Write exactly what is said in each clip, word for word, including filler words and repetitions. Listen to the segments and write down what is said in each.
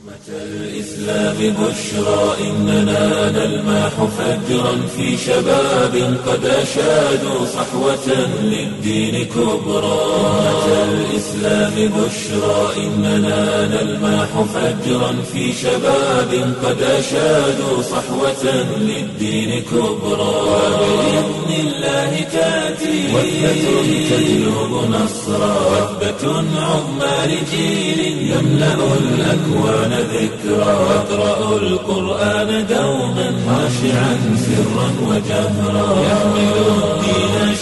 الإسلام بشرى إننا نلمح فجرا في شباب قد أشادوا صحوة للدين كبرى. الإسلام بشرى إننا نلمح فجرا في شباب قد أشادوا صحوة للدين كبرى. وبإذن الله تأتي وثبة تجلب نصرا، وثبة عظمى لجيل يملأ الأكوان ذكرى. يقرأ القرآن دوما خاشعا سرا وجهرا يحمل الدين.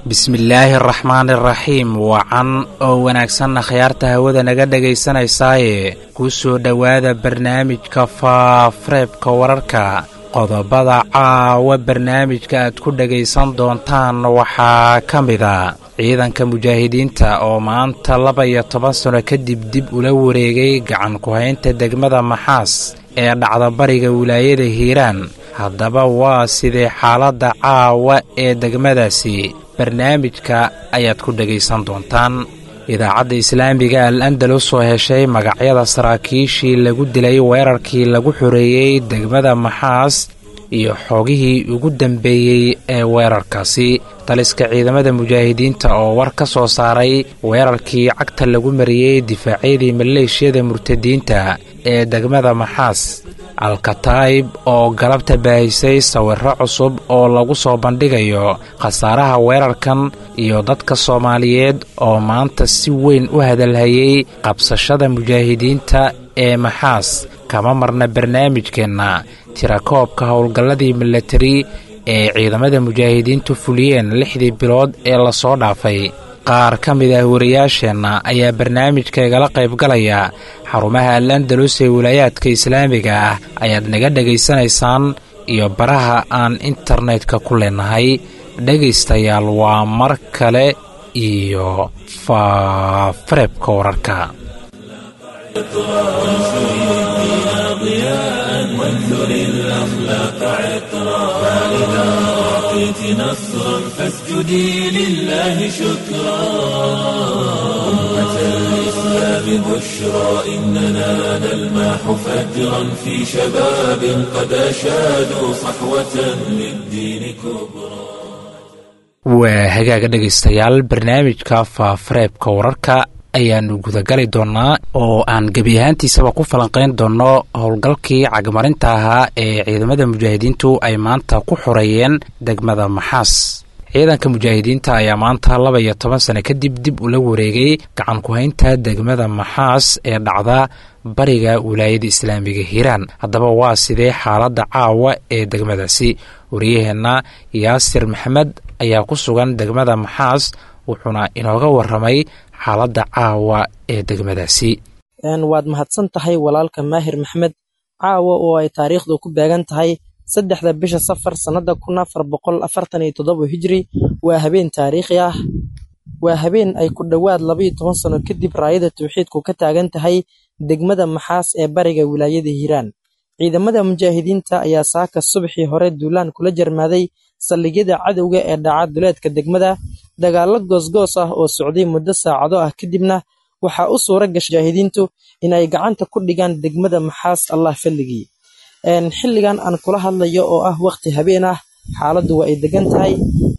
Bismillaahi araxmaani araxiim. Wacan oo wanaagsanna khayaarta hawada naga dhagaysanaysaaye, ku soo dhowaada barnaamijka faafareebka wararka. Qodobada caawa barnaamijka aad ku dhagaysan doontaan waxaa ka mida ciidanka mujaahidiinta oo maanta laba iyo toban sano kadib dib ula wareegay gacan ku-haynta degmada Maxaas ee dhacda bariga wilaayada Hiiraan. Haddaba waa sidee xaaladda caawa ee degmadaasi? Barnaamijka ayaad ku dhagaysan doontaan. Idaacadda Islaamiga Al Andalus oo heshay magacyada saraakiishii lagu dilay weerarkii lagu xoreeyey degmada Maxaas iyo xogihii ugu dambeeyey ee weerarkaasi. Taliska ciidamada mujaahidiinta oo war ka soo saaray weerarkii cagta lagu mariyey difaacyadii maleeshiyada murtadiinta ee degmada Maxaas. Alkataib oo galabta baahisay sawirro cusub oo lagu soo bandhigayo khasaaraha weerarkan, iyo dadka Soomaaliyeed oo maanta si weyn u hadalhayay qabsashada mujaahidiinta ee Maxaas. Kama marna barnaamijkeenna tirakoobka howlgalladii milatari ee ciidamada mujaahidiintu fuliyeen lixdii bilood ee lasoo dhaafay. Qaar ka mid ah wariyaasheenna ayaa barnaamijka igala qaybgalaya. Xarumaha Al Andalus ee wilaayaadka islaamiga ah ayaad naga dhegaysanaysaan iyo baraha aan internetka ku leenahay. Dhegaystayaal, waa mar kale iyo faafareebka wararka. وانثر الأخلاق عطرا، فإذا أعطيت نصرا فاسجدي لله شكرا. أمة الإسلام بشرى إننا نلمح فجرا في شباب قد أشادوا صحوة للدين كبرى. Waa hagaaga dhegaystayaal, barnaamijka faafareebka wararka ayaanu gudagali doonnaa oo aan gebi ahaantiisaba ku falanqayn doonno howlgalkii cagmarinta ahaa ee ciidamada mujaahidiintu ay maanta ku xoreeyeen degmada Maxaas. Ciidanka mujaahidiinta ayaa maanta laba iyo toban sano kadib dib ula wareegay gacan ku-haynta degmada Maxaas ee dhacda bariga wilaayada islaamiga Hiiraan. Haddaba waa sidee xaaladda caawa ee degmadaasi? Wariyaheenna Yaasir Maxamed ayaa ku sugan degmada Maxaas, wuxuuna inooga waramay xaaladda caawa ee degmadaasi. Waad mahadsan tahay walaalka Maahir Maxmed. Caawa oo ay taariikhdu ku beegan tahay saddexda bisha Safar sannada kun afar boqol afartan iyo toddoba Hijri, waa habeen taariikhi ah. Waa habeen ay ku dhowaad laba iyo toban sano kadib raayada tawxiidku ka taagan tahay degmada Maxaas ee bariga wilaayada Hiiraan. Ciidamada mujaahidiinta ayaa saaka subaxii hore duulaan kula jarmaaday saldhigyada cadowga ee dhaca duleedka degmada. Dagaallo goosgoos ah oo socday muddo saacado ah kadibna waxaa u suura gashay mujaahidiintu inay gacanta ku dhigaan degmada Maxaas, Allah fadligii. Xilligan aan kula hadlayo oo ah waqti habeen ah, xaaladdu waa ay degan tahay.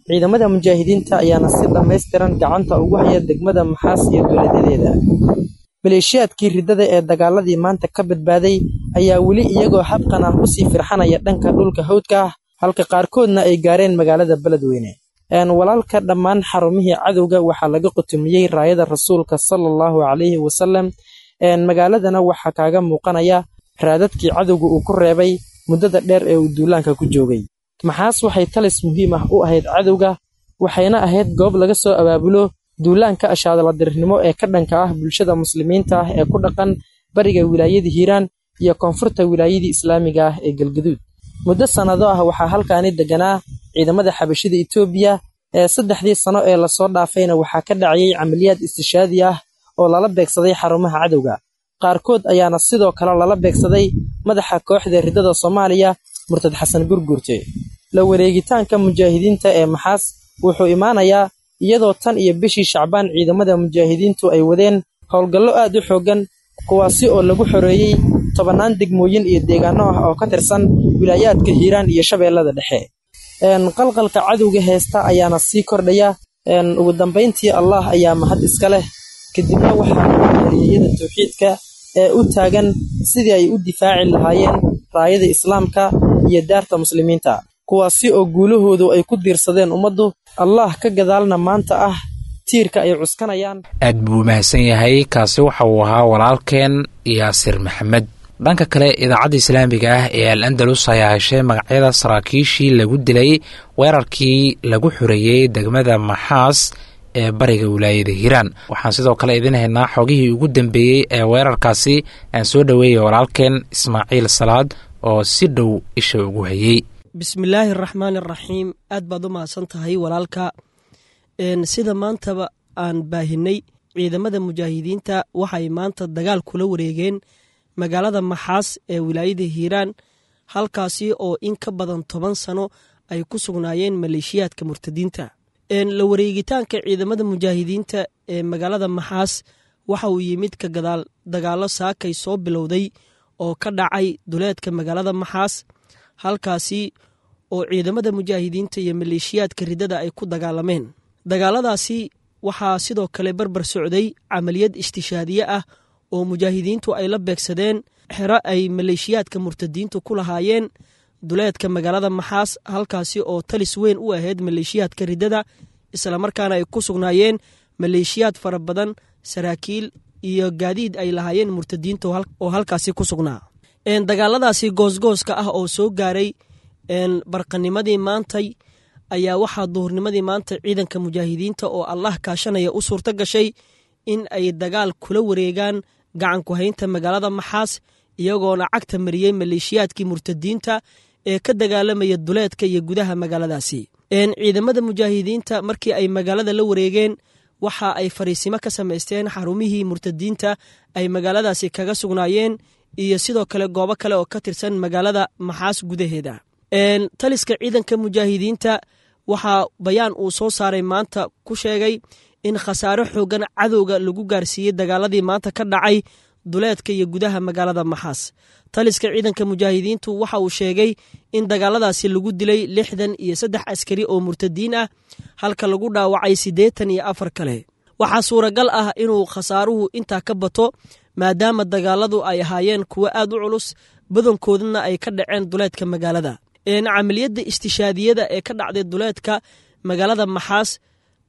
Ciidamada mujaahidiinta ayaana si dhammaystiran gacanta ugu haya degmada Maxaas iyo duleedyadeeda. Maleeshiyaadkii riddada ee dagaaladii maanta ka badbaaday ayaa weli iyagoo habqan ah usii firxanaya dhanka dhulka hawdka ah, halka qaarkoodna ay gaareen magaalada Beledweyne. Walaalka, dhammaan xarumihii cadowga waxaa laga qutumiyey raayada rasuulka sala allahu calayhi wasalam. Magaaladana waxaa kaaga muuqanaya raadadkii cadowga uu ku reebay muddada dheer ee uu duulaanka ku joogay. Maxaas waxay talis muhiim ah u ahayd cadowga, waxayna ahayd goob laga soo abaabulo duulaanka ashaadaladirnimo ee ka dhanka ah bulshada muslimiinta ah ee ku dhaqan bariga wilaayada Hiiraan iyo koonfurta wilaayadii islaamiga ah ee Galgaduud. Muddo sannado ah waxaa halkaani deganaa ciidamada xabashida Itoobiya. Ee saddexdii sano ee lasoo dhaafayna waxaa ka dhacayay camaliyaad istishaadi ah oo lala beegsaday xarumaha cadowga. Qaarkood ayaana sidoo kale lala beegsaday madaxa kooxda riddada Soomaaliya, murtad Xasan Gurgurte. La wareegitaanka mujaahidiinta ee Maxaas wuxuu imaanayaa iyadoo tan iyo bishii Shacbaan ciidamada mujaahidiintu ay wadeen howlgallo aad u xooggan kuwaasi oo lagu xoreeyey tobannaan degmooyin iyo deegaano ah oo ka tirsan wilaayaadka Hiiraan iyo Shabeellada Dhexe. Qalqalka cadowga heesta ayaana sii kordhaya. Ugu dambayntii Allah ayaa mahad iska leh, kadibna waxaa halyeeyada tawxiidka ee u taagan sidii ay u difaaci lahaayeen raayada islaamka iyo daarta muslimiinta, kuwaasi oo guulahoodu ay ku diirsadeen ummaddu, Allah ka gadaalna maanta ah tiirka ay cuskanayaan. Aad buu mahadsan yahay. Kaasi waxa uu ahaa walaalkeen Yaasir Maxamed. Dhanka kale, idaacadda islaamiga ah ee Al Andalus ayaa heshay magacyada saraakiishii lagu dilay weerarkii lagu xoreeyey degmada Maxaas ee bariga wilaayada Hiiraan. Waxaan sidoo kale idin haynaa xogihii ugu dambeeyey ee weerarkaasi. Aan soo dhoweeyay walaalkeen Ismaaciil Salaad oo si dhow isha ugu hayey. Bismillaahi araxmaani araxiim. Aad baad u mahadsan tahay walaalka. Sida maantaba aan baahinay, ciidamada mujaahidiinta waxay maanta dagaal kula wareegeen magaalada Maxaas ee wilaayada Hiiraan, halkaasi oo in ka badan toban sano ay ku sugnaayeen maleeshiyaadka murtadiinta. La wareegitaanka ciidamada mujaahidiinta ee magaalada Maxaas waxa uu yimid ka gadaal dagaallo saakay soo bilowday oo ka dhacay duleedka magaalada Maxaas, halkaasi oo ciidamada mujaahidiinta iyo maleeshiyaadka riddada ay ku dagaalameen. Dagaaladaasi waxaa sidoo kale barbar socday camaliyad istishaadiye ah oo mujaahidiintu ay la beegsadeen xero ay maleeshiyaadka murtadiintu ku lahaayeen duleedka magaalada Maxaas, halkaasi oo talis weyn u ahayd maleeshiyaadka riddada, islamarkaana ay ku sugnaayeen maleeshiyaad fara badan, saraakiil iyo gaadiid ay lahaayeen murtadiinta oo halkaasi ku sugnaa. Dagaaladaasi goosgooska ah oo soo gaaray barqanimadii maantay ayaa waxaa duhurnimadii maanta ciidanka mujaahidiinta oo Allah kaashanaya u suurto gashay in ay dagaal kula wareegaan gacan ku haynta magaalada Maxaas, iyagoona cagta mariyey maleeshiyaadkii murtadiinta ee ka dagaalamaya duleedka iyo gudaha magaaladaasi. Ciidamada mujaahidiinta markii ay magaalada la wareegeen waxa ay fariisimo ka samaysteen xarumihii murtadiinta ay magaaladaasi kaga sugnaayeen iyo sidoo kale goobo kale oo ka tirsan magaalada Maxaas gudaheeda. Taliska ciidanka mujaahidiinta waxaa bayaan uu soo saaray maanta ku sheegay in khasaare xoogan cadowga lagu gaarsiiyey dagaaladii maanta ka dhacay duleedka iyo gudaha magaalada Maxaas. Taliska ciidanka mujaahidiintu waxa uu sheegay in dagaaladaasi lagu dilay lixdan iyo saddex askari oo murtadiin ah, halka lagu dhaawacay siddeetan iyo afar kale. Waxaa suuragal ah inuu khasaaruhu intaa ka bato, maadaama dagaaladu ay ahaayeen kuwo aad u culus, badankoodana ay ka dhaceen duleedka magaalada. Camaliyadda istishaadiyada ee ka dhacday duleedka magaalada Maxaas,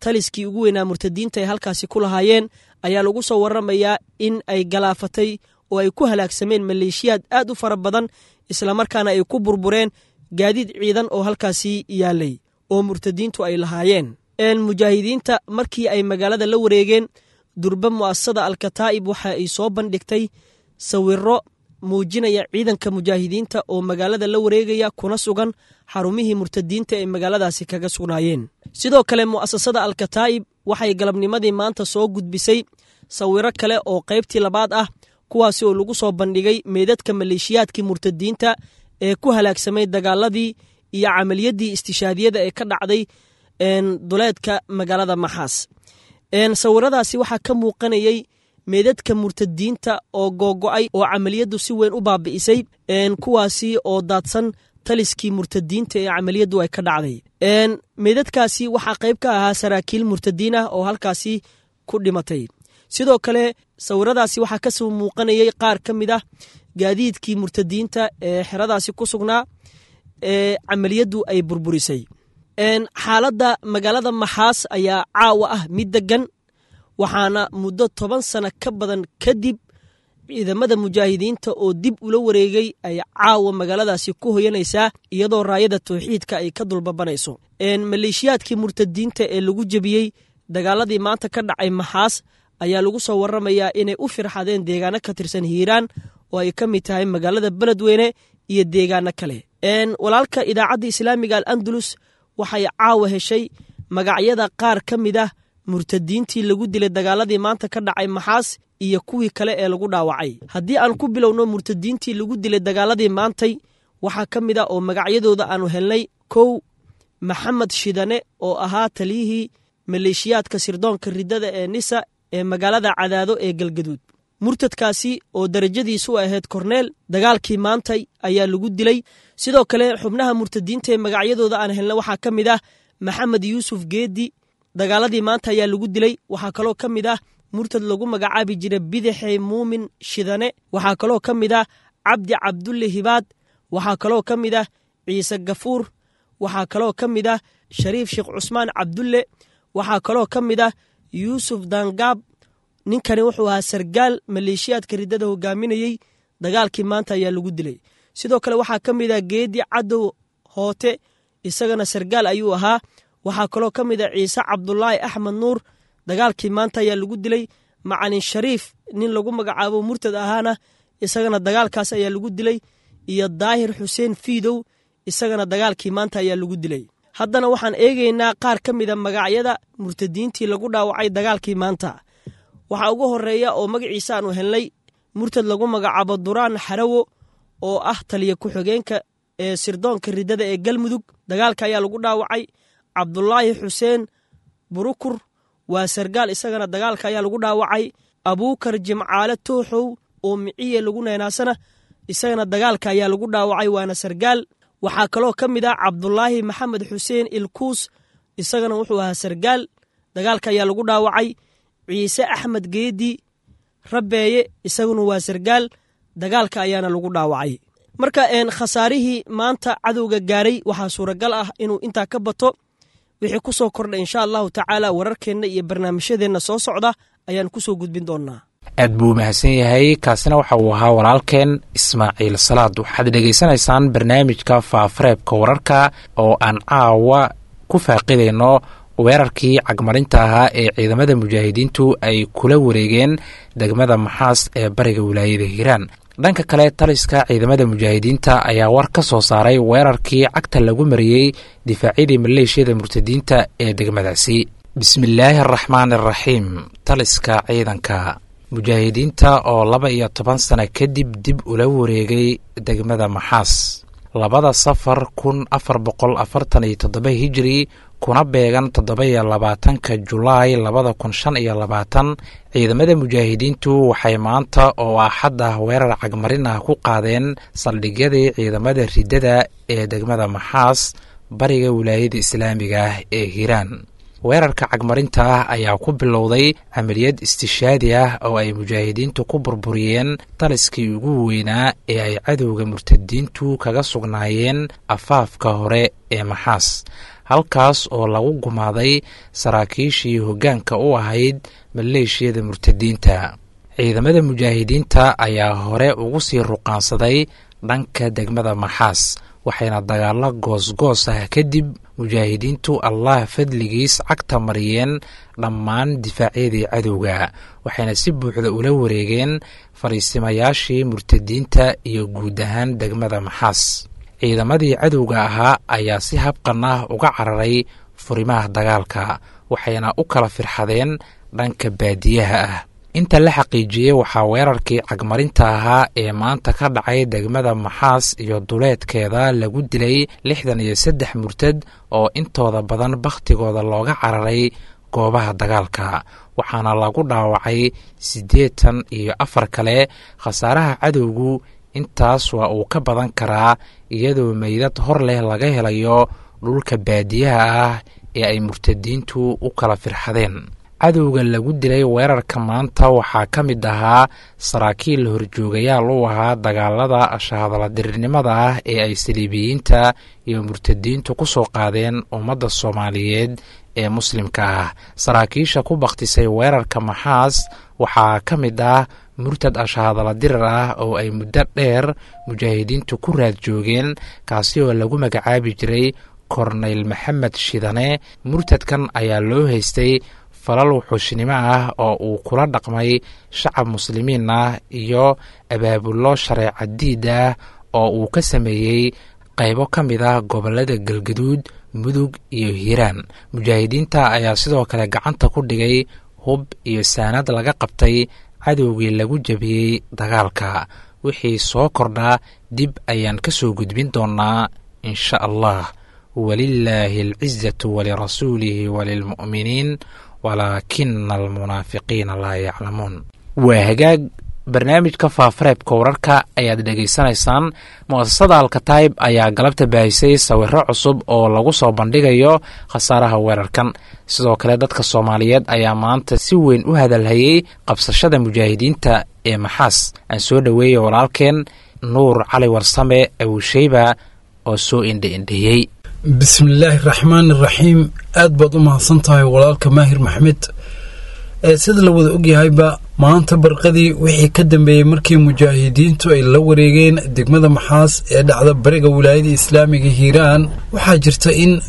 taliskii ugu weynaa murtadiinta ay halkaasi ku lahaayeen ayaa lagu soo waramayaa in ay galaafatay oo ay ku halaagsameen maleeshiyaad aad u fara badan, islamarkaana ay ku burbureen gaadiid ciidan oo halkaasi yaalay oo murtadiintu ay lahaayeen. Mujaahidiinta markii ay magaalada la wareegeen, durba mu'asasada Alkataa'ib waxa ay soo bandhigtay sawiro muujinaya ciidanka mujaahidiinta oo magaalada la wareegaya kuna sugan xarumihii murtadiinta ay magaaladaasi kaga sugnaayeen. Sidoo kale mu'asasada Alkataa'ib waxay galabnimadii maanta soo gudbisay sawiro kale oo qaybtii labaad ah, kuwaasi oo lagu soo bandhigay meydadka maleeshiyaadkii murtadiinta ee ku halaagsamay dagaaladii iyo camaliyadii istishaadiyada ee ka dhacday duleedka magaalada Maxaas. Sawiradaasi waxaa ka muuqanayay meedadka murtadiinta oo googo'ay oo camaliyaddu si weyn u baabi'isay, kuwaasi oo daadsan taliskii murtadiinta ee camaliyaddu ay ka dhacday. Meedadkaasi waxaa qayb ka ahaa saraakiil murtadiin ah oo halkaasi ku dhimatay. Sidoo kale sawiradaasi waxaa kasoo muuqanayay qaar ka mid ah gaadiidkii murtadiinta ee xeradaasi ku sugnaa ee camaliyaddu ay burburisay. Xaaladda magaalada Maxaas ayaa caawa ah mid degan, waxaana muddo toban sano ka badan kadib ciidamada mujaahidiinta oo dib ula wareegay ay caawa magaaladaasi ku hoyanaysaa, iyadoo raayada tawxiidka ay ka dulbabanayso. Maleeshiyaadkii murtadiinta ee lagu jebiyey dagaaladii maanta ka dhacay Maxaas ayaa lagu soo waramayaa inay u firxadeen deegaano ka tirsan Hiiraan oo ay ka mid tahay magaalada Beledweyne iyo deegaano kale. Walaalka, idaacadda islaamiga Al Andalus waxay caawa heshay magacyada qaar ka mid ah murtadiintii lagu dilay dagaaladii maanta ka dhacay Maxaas iyo kuwii kale ee lagu dhaawacay. Haddii aan ku bilowno murtadiintii lagu dilay dagaaladii maantay, waxaa ka mid ah oo magacyadooda aanu helnay: kow, Maxamed Shidane oo ahaa taliyihii maleeshiyaadka sirdoonka riddada ee Nisa ee magaalada Cadaado ee Galgaduud. Murtadkaasi oo darajadiisu ahayd korneel dagaalkii maantay ayaa lagu dilay. Sidoo kale xubnaha murtadiinta ee magacyadooda aan helna waxaa ka mid ah Maxamed Yuusuf Geedi, dagaaladii maanta ayaa lagu dilay. Waxaa kaloo ka mid ah murtad lagu magacaabi jiray Bidaxey Muumin Shidane. Waxaa kaloo ka mid ah Cabdi Cabdulle Hibaad. Waxaa kaloo ka mid ah Ciise Gafuur. Waxaa kaloo ka mid ah Shariif Sheekh Cusmaan Cabdulle. Waxaa kaloo ka mid ah Yuusuf Dangaab. Ninkani wuxuu ahaa sargaal maleeshiyaadka riddada hogaaminayey, dagaalkii maanta ayaa lagu dilay. Sidoo kale waxaa ka mid ah Geedi Cadow Hoote, isagana sargaal ayuu ahaa. Waxaa kaloo ka mid ah Ciise Cabdulaahi Axmed Nuur, dagaalkii maanta ayaa lagu dilay. Macalin Shariif nin lagu magacaabo murtad ahaana isagana dagaalkaas ayaa lagu dilay, iyo Daahir Xuseen Fiidow isagana dagaalkii maanta ayaa lagu dilay. Haddana waxaan eegaynaa qaar ka mid a magacyada murtadiintii lagu dhaawacay dagaalkii maanta. Waxaa ugu horeeya oo magaciisa aanu helnay murtad lagu magacaabo Duraan Xarawo oo ah taliya ku-xigeenka ee sirdoonka riddada ee Galmudug, dagaalka ayaa lagu dhaawacay. Cabdulaahi Xuseen Burukur waa sargaal, isagana dagaalka ayaa lagu dhaawacay. Abuukar Jimcaale Tooxow oo Miciye lagu neenaasana isagana dagaalka ayaa lagu dhaawacay, waana sargaal. Waxaa kaloo ka mid ah Cabdulaahi Maxamed Xuseen Ilkuus, isagana wuxuu ahaa sargaal, dagaalka ayaa lagu dhaawacay. Ciise Axmed Geedi Rabeeye isaguna waa sargaal, dagaalka ayaana lagu dhaawacay. Marka khasaarihii maanta cadowga gaaray waxaa suuragal ah inuu intaa ka bato. Wixii ku soo kordhay insha allahu tacaala wararkeenna iyo barnaamijyadeenna soo socda ayaan kusoo gudbin doonaa. Aad buu mahadsan yahay. Kaasina waxa uu ahaa walaalkeen Ismaaciil Salaad. Waxaad dhegaysanaysaan barnaamijka Faafareebka Wararka oo aan caawa ku faaqidayno weerarkii cagmarinta ahaa ee ciidamada mujaahidiintu ay kula wareegeen degmada Maxaas ee bariga wilaayada Hiiraan. Dhanka kale, taliska ciidamada mujaahidiinta ayaa war ka soo saaray weerarkii cagta lagu mariyey difaacyadii maleeshiyada murtadiinta ee degmadaasi. Bismillaahi araxmaan araxiim. Taliska ciidanka mujaahidiinta oo laba iyo toban sano kadib dib ula wareegay degmada Maxaas labada safar kun afar boqol afartan iyo toddoba hijri kuna beegan toddoba iyo labaatanka Julaay labada kun shan iyo labaatan, ciidamada mujaahidiintu waxay maanta oo axad ah weerar cagmarin ah ku qaadeen saldhigyadii ciidamada riddada ee degmada Maxaas bariga wilaayada islaamiga ah ee Hiiraan. Weerarka cagmarinta ah ayaa ku bilowday camaliyad istishaadi ah oo ay mujaahidiintu ku burburiyeen taliskii ugu weynaa ee ay cadowga murtadiintu kaga sugnaayeen afaafka hore ee Maxaas, halkaas oo lagu gumaaday saraakiishii hoggaanka u ahayd maleeshiyada murtadiinta. Ciidamada mujaahidiinta ayaa hore ugu sii ruqaansaday dhanka degmada Maxaas, waxayna dagaallo goosgoos ah kadib mujaahidiintu Allah fadligiis cagta mariyeen dhammaan difaacyadii cadowga, waxayna si buuxda ula wareegeen fariisimayaashii murtadiinta iyo guud ahaan degmada Maxaas. Ciidamadii cadowga ahaa ayaa si habqan ah uga cararay furimaha dagaalka, waxayna u kala firxadeen dhanka baadiyaha ah. Inta la xaqiijiyey waxaa weerarkii cagmarinta ahaa ee maanta ka dhacay degmada Maxaas iyo duleedkeeda lagu dilay lixdan iyo saddex murtad oo intooda badan bakhtigooda looga cararay goobaha dagaalka, waxaana lagu dhaawacay siddeetan iyo afar kale. Khasaaraha cadowgu intaas waa uu ka badan karaa, iyadoo meydad hor leh laga helayo dhulka baadiyaha ah ee ay murtadiintu u kala firxadeen. Cadowga lagu dilay weerarka maanta waxaa ka mid ahaa saraakiil horjoogayaal u ahaa dagaalada shahadaladirirnimada ah ee ay saliibiyiinta iyo murtadiintu ku soo qaadeen ummadda Soomaaliyeed ee muslimka ah. Saraakiisha ku bakhtisay weerarka Maxaas waxaa ka mid ah murtad ashahadaladirir ah oo ay muddo dheer mujaahidiintu ku raad joogeen, kaasi oo lagu magacaabi jiray Korneyl Maxamed Shidane. Murtadkan ayaa loo haystay falal wuxuushnimo ah oo uu kula dhaqmay shacab muslimiin ah iyo abaabullo shareeca diid ah oo uu ka sameeyey qaybo ka mid ah gobollada Galgaduud, Mudug iyo Hiiraan. Mujaahidiinta ayaa sidoo kale gacanta ku dhigay hub iyo saanad laga qabtay cadowgii lagu jabiyey dagaalka. Wixii soo kordhaa dib ayaan ka soo gudbin doonaa insha allah. Walilaahi alcizatu walirasuulihi walilmu'miniin walaakina almunaafiqiina laa yaclamuun. Waa hagaag. Barnaamijka Faafareebka Wararka ayaad dhegaysanaysaan. Mu'asasada Alkataib ayaa galabta baahisay sawiro cusub oo lagu soo bandhigayo khasaaraha weerarkan. Sidoo kale dadka Soomaaliyeed ayaa maanta si weyn u hadalhayey qabsashada mujaahidiinta ee Maxaas. Aan soo dhoweeyey walaalkeen Nuur Cali Warsame Abuusheyba oo soo indha-indheeyey. Bismillaahi raxmaan iraxiim. Aad baad u mahadsan tahay walaalka Maahir Maxmed. Ee sida la wada ogyahayba, maanta barqadii wixii ka dambeeyey markii mujaahidiintu ay la wareegeen degmada Maxaas ee dhacda bariga wilaayada islaamiga Hiiraan, waxaa jirta in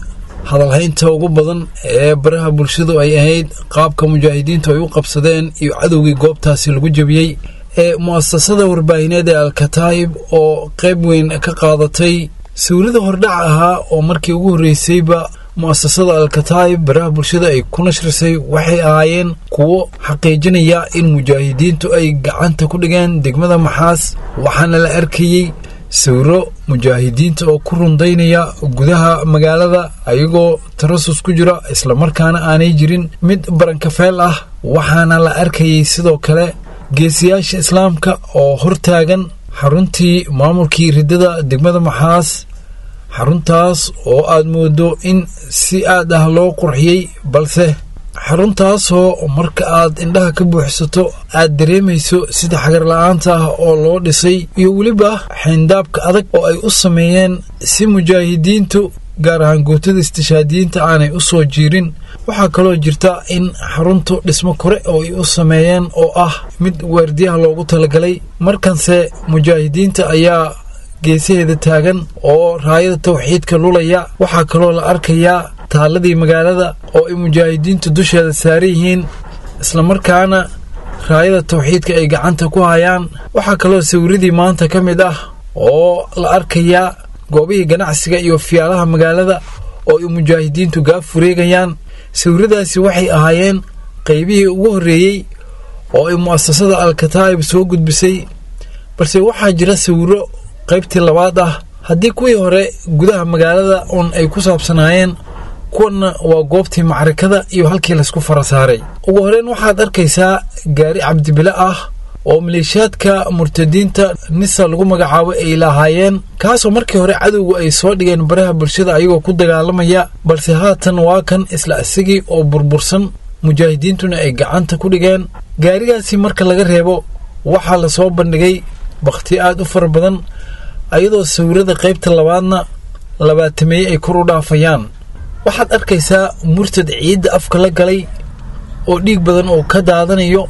hadalhaynta ugu badan ee baraha bulshadu ay ahayd qaabka mujaahidiintu ay u qabsadeen iyo cadowgii goobtaasi lagu jebiyey. Ee mu'asasada warbaahineed ee Alkataa'ib oo qayb weyn ka qaadatay sawirada hordhaca ahaa oo markii ugu horreysayba mu'asasada Alkataa'ib baraha bulshada ay ku nashrisay, waxay ahaayeen kuwo xaqiijinaya in mujaahidiintu ay gacanta ku dhigeen degmada Maxaas. Waxaana la arkayey sawiro mujaahidiinta oo ku rundaynaya gudaha magaalada ayagoo tarasus ku jira, islamarkaana aanay jirin mid barankafeel ah. Waxaana la arkayey sidoo kale geesiyaasha islaamka oo hortaagan xaruntii maamulkii riddada degmada Maxaas, xaruntaas oo aad moodo in si aad ah loo qurxiyey, balse xaruntaasoo marka aad indhaha ka buuxsato aad dareemayso sida xagar la-aanta ah oo loo dhisay iyo weliba xayndaabka adag oo ay u sameeyeen si mujaahidiintu, gaar ahaan guutada istishaadiyiinta, aanay u soo jiirin. Waxaa kaloo jirta in xaruntu dhismo kore oo ay u sameeyeen oo ah mid waardiyaha loogu talagalay. Markanse mujaahidiinta ayaa geesaheeda taagan oo raayada tawxiidka lulaya. Waxaa kaloo la arkayaa taaladii magaalada oo ay mujaahidiintu dusheeda saaran yihiin, islamarkaana raayada tawxiidka ay gacanta ku hayaan. Waxaa kaloo sawiradii maanta ka mid ah oo la arkayaa goobihii ganacsiga iyo fiyaalaha magaalada oo ay mujaahidiintu gaaf fureegayaan. Sawiradaasi waxay ahaayeen qaybihii ugu horreeyey oo ay mu'asasada Alkataa'ib soo gudbisay, balse waxaa jira sawiro qaybtii labaad ah. Haddii kuwii hore gudaha magaalada uun ay ku saabsanaayeen, kuwanna waa goobtii macrikada iyo halkii laysku fara saaray. Ugu horreyn waxaad arkaysaa gaari cabdibile ah oo maleeshiyaadka murtadiinta Nisa lagu magacaabo ay lahaayeen, kaasoo markii hore cadowgu ay soo dhigeen baraha bulshada ayagoo ku dagaalamaya, balse haatan waa kan isla isagii oo burbursan, mujaahidiintuna ay gacanta ku dhigeen. Gaarigaasi marka laga reebo, waxaa lasoo bandhigay bakhti aad u fara badan, ayadoo sawirada qaybta labaadna labaatameeye ay kor u dhaafayaan. Waxaad arkaysaa murtad ciidda afka la galay oo dhiig badan oo ka daadanayo,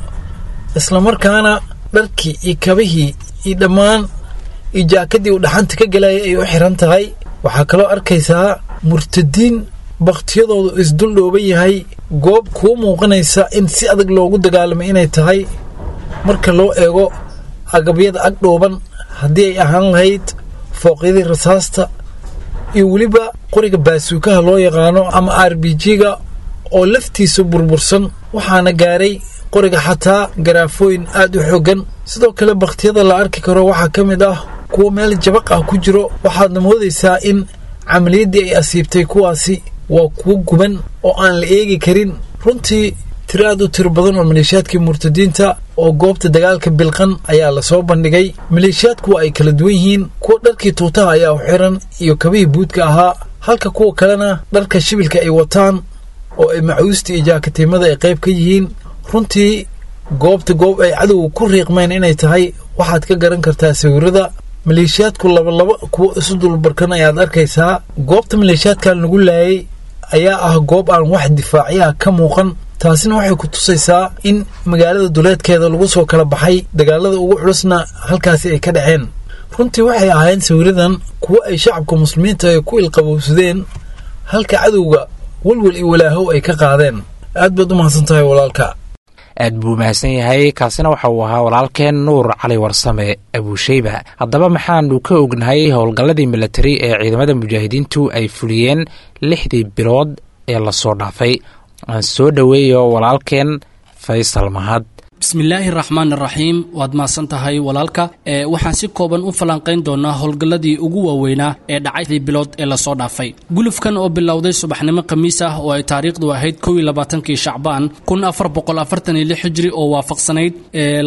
islamarkaana dharkii iyo kabihii iyo dhammaan iyo jaakadii uu dhaxanta ka galayay ay u xiran tahay. Waxaa kaloo arkaysaa murtadiin bakhtiyadoodu isdul dhooban yahay, goob kuu muuqanaysa in si adag loogu dagaalamay inay tahay marka loo eego agabyada ag dhooban, haddii ay ahaan lahayd fooqyadii rasaasta iyo weliba qoriga baasuukaha loo yaqaano ama R B G-ga oo laftiisa burbursan, waxaana gaaray qoriga xataa garaafooyin aad u xooggan. Sidoo kale bakhtiyada la arki karo waxaa ka mid ah kuwo meel jabaq ah ku jiro, waxaadna moodaysaa in camaliyaddii ay asiibtay. Kuwaasi waa kuwo guban oo aan la eegi karin. Runtii tiro aad u tiro badan oo maleeshiyaadkii murtadiinta oo goobta dagaalka bilqan ayaa lasoo bandhigay. Maleeshiyaadku waa ay kala duwan yihiin. Kuwa dharkii tuutaha ayaa u xiran iyo kabihii buudka ahaa, halka kuwa kalena dharka shibilka ay wataan oo ay macuusta iyo jaakatiimada ay qayb ka yihiin. Runtii goobta goob ay cadowga ku riiqmeen inay tahay waxaad ka garan kartaa sawirada. Maleeshiyaadku labalaba kuwo isu dulbarkan ayaad arkaysaa. Goobta maleeshiyaadkan lagu laayay ayaa ah goob aan wax difaacyaha ka muuqan, taasina waxay ku tusaysaa in magaalada duleedkeeda lagu soo kala baxay, dagaalada ugu culusna halkaasi ay ka dhaceen. Runtii waxay ahaayeen sawiradan kuwo ay shacabka muslimiinta ay ku ilqabowsadeen, halka cadowga walwal iyo walaahow ay ka qaadeen. Aad baad u mahadsan tahay walaalka. Aad buu mahadsan yahay. Kaasina waxa uu ahaa walaalkeen Nuur Cali Warsame Abuusheyba. Haddaba maxaanu ka ognahay howlgalladii milatari ee ciidamada mujaahidiintu ay fuliyeen lixdii bilood ee lasoo dhaafay? Aan soo dhoweeyo walaalkeen Faysal Mahad. Bismillaahi raxmaan raxiim. Waad mahadsan tahay walaalka. Waxaan si kooban u falanqayn doonaa howlgalladii ugu waaweynaa ee dhacay bilood ee lasoo dhaafay. Gulufkan oo bilowday subaxnimo khamiis ah oo ay taariikhdu ahayd kow iyo labaatankii Shacbaan kun afar boqol afartan iyo lix hijri oo waafaqsanayd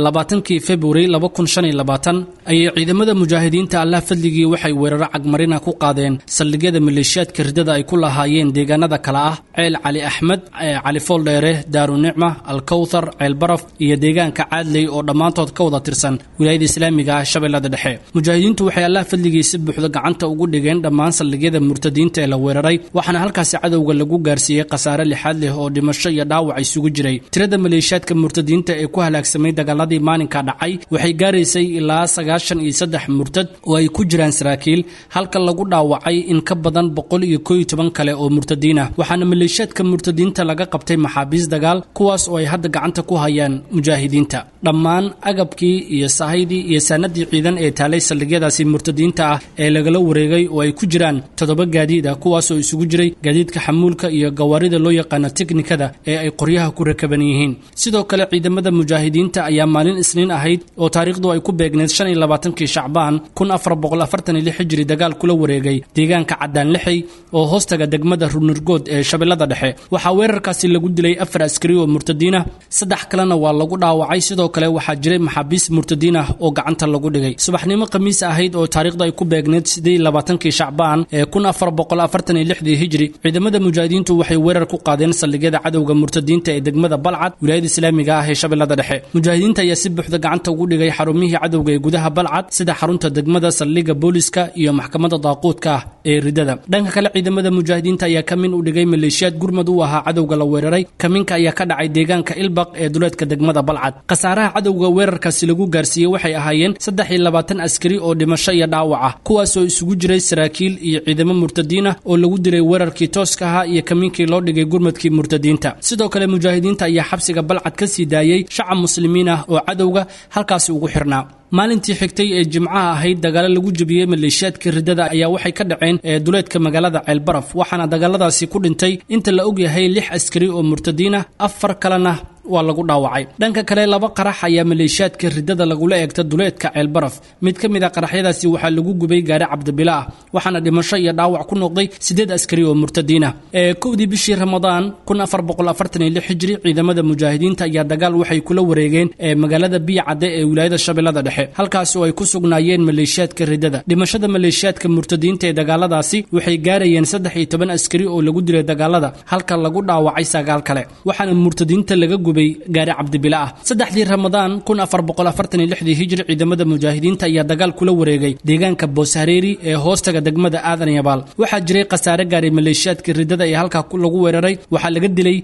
labaatankii February laba kun shan iyo labaatan ayay ciidamada mujaahidiinta Allah fadligii waxay weeraro cagmarina ku qaadeen saldhigyada maleeshiyaadka ridada ay ku lahaayeen deegaanada kale ah Ceel Cali Axmed, Cali Fooldheere, Daarunicma, Alkawthar, Ceel Baraf iyo deegaanka Caadley oo dhammaantood ka wada tirsan wilaayada islaamiga ah Shabeellada Dhexe. Mujaahidiintu waxay Allah fadligii si buuxda gacanta ugu dhigeen dhammaan saldhigyada murtadiinta ee la weeraray, waxaana halkaasi cadowga lagu gaarsiiyey khasaare lixaad leh oo dhimasho iyo dhaawac isugu jiray. Tirada maleeshiyaadka murtadiinta ee ku halaagsamay dagaaladii maalinka dhacay waxay gaaraysay ilaa sagaashan iyo saddex murtad oo ay ku jiraan saraakiil, halka lagu dhaawacay in ka badan boqol iyo koo iyo toban kale oo murtadiin ah. Waxaana maleeshiyaadka murtadiinta laga qabtay maxaabiis dagaal, kuwaas oo ay hadda gacanta ku hayaan mujaahidiinta. Dhammaan agabkii iyo sahaydii iyo saanadii ciidan ee taalay saldhigyadaasi murtadiinta ah ee lagala wareegay oo ay ku jiraan toddoba gaadiid ah, kuwaas oo isugu jiray gaadiidka xamuulka iyo gawaarida loo yaqaano teknikada ee ay qoryaha ku rakaban yihiin. Sidoo kale ciidamada mujaahidiinta ayaa maalin Isniin ahayd oo taariikhdu ay ku beegneed shan iyo labaatankii Shacbaan kun afar boqol afartan iyo lix hijri dagaal kula wareegay deegaanka Caddaan Lixey oo hoostaga degmada Runurgood ee Shabeellada Dhexe. Waxaa weerarkaasi lagu dilay afar askari oo murtadiin ah, saddex kalena waa lagu dhaawacay. Sidoo kale waxaa jiray maxaabiis murtadiin ah oo gacanta lagu dhigay. Subaxnimo khamiis ahayd oo taariikhdu ay ku beegneed siddeed iyo labaatankii Shacbaan ee kun afar boqol afartan iyo lixdii hijri ciidamada mujaahidiintu waxay weerar ku qaadeen saldhigyada cadowga murtadiinta ee degmada Balcad, wilaayada islaamiga ah ee Shabeellada Dhexe. Mujaahidiinta ayaa si buuxda gacanta ugu dhigay xarumihii cadowga ee gudaha Balcad, sida xarunta degmada, saldhigga booliska iyo maxkamadda daaquudka ah ee ridada. Dhanka kale ciidamada mujaahidiinta ayaa kamin u dhigay maleeshiyaad gurmad u ahaa cadowga la weeraray. Kaminka ayaa ka dhacay deegaanka Ilbaq ee duleedka degmada Balcad. Khasaaraha cadowga weerarkaasi lagu gaarsiiyey waxay ahaayeen saddex iyo labaatan askari oo dhimasho iyo dhaawac ah, kuwaas oo isugu jiray saraakiil iyo ciidamo murtadiin ah oo lagu dilay weerarkii tooska ahaa iyo kamiinkii loo dhigay gurmadkii murtadiinta. Sidoo kale mujaahidiinta ayaa xabsiga Balcad ka sii daayey shacab muslimiin ah oo cadowga halkaasi ugu xirnaa. Maalintii xigtay ee Jimcaha ahayd dagaalo lagu jabiyey maleeshiyaadka ridada ayaa waxay ka dhaceen duleedka magaalada Ceel Baraf, waxaana dagaaladaasi ku dhintay inta la ogyahay lix askari oo murtadiin ah, afar kalena waa lagu dhaawacay. Dhanka kale laba qarax ayaa maleeshiyaadka ridada lagula eegta duleedka Ceel Baraf. Mid ka mid ah qaraxyadaasi waxaa lagu gubay gaari Cabdibila ah, waxaana dhimasho iyo dhaawac ku noqday siddeed askari oo murtadiin ah. Ee kowdii bishii Ramadaan kun afar boqol afartan iyo lix hijri ciidamada mujaahidiinta ayaa dagaal waxay kula wareegeen magaalada Biyacadde ee wilaayada Shabeellada Dhexe, halkaas oo ay ku sugnaayeen maleeshiyaadka ridada. Dhimashada maleeshiyaadka murtadiinta ee dagaaladaasi waxay gaarayeen saddex iyo toban askari oo lagu dilay dagaalada, halka lagu dhaawacay sagaal kale, waxaana murtadiinta laga gubay gaari Cabdibila ah. Saddexdii Ramadaan kun afar boqol afartan iyo lixdii hijri ciidamada mujaahidiinta ayaa dagaal kula wareegay deegaanka Booshareeri ee hoostaga degmada Aadan Yabaal. Waxaa jiray khasaare gaaray maleeshiyaadka ridada ee halkaa lagu weeraray. Waxaa laga dilay